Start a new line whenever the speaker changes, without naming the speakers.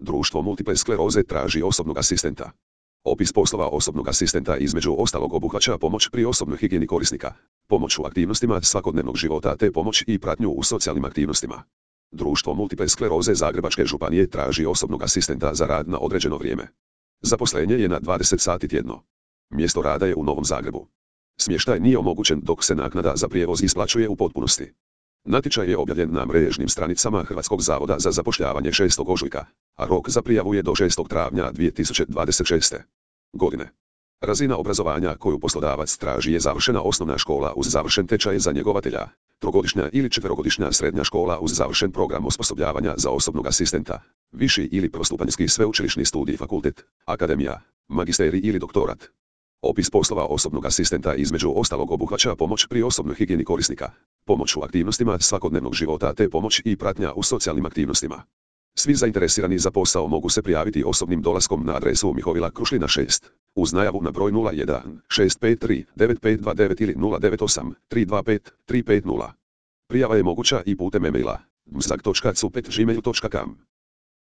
Društvo multiple skleroze traži osobnog asistenta. Opis poslova osobnog asistenta između ostalog obuhvaća pomoć pri osobnoj higijeni korisnika, pomoć u aktivnostima svakodnevnog života te pomoć i pratnju u socijalnim aktivnostima. Društvo multiple skleroze Zagrebačke županije traži osobnog asistenta za rad na određeno vrijeme. Zaposlenje je na 20 sati tjedno. Mjesto rada je u Novom Zagrebu. Smještaj nije omogućen dok se naknada za prijevoz isplaćuje u potpunosti. Natječaj je objavljen na mrežnim stranicama Hrvatskog zavoda za zapošljavanje 6. ožujka, a rok za prijavu je do 6. travnja 2026. godine. Razina obrazovanja koju poslodavac traži je završena osnovna škola uz završen tečaj za njegovatelja, trogodišnja ili četverogodišnja srednja škola uz završen program osposobljavanja za osobnog asistenta, viši ili prvostupanjski sveučilišni studij, fakultet, akademija, magisterij ili doktorat. Opis poslova osobnog asistenta između ostalog obuhvaća pomoć pri osobnoj higijeni korisnika, pomoć u aktivnostima svakodnevnog života te pomoć i pratnja u socijalnim aktivnostima. Svi zainteresirani za posao mogu se prijaviti osobnim dolaskom na adresu Mihovila Krušlina 6, uz najavu na broj 01 653 9529 ili 098 325 350. Prijava je moguća i putem e-maila mzak.cupet@gmail.com.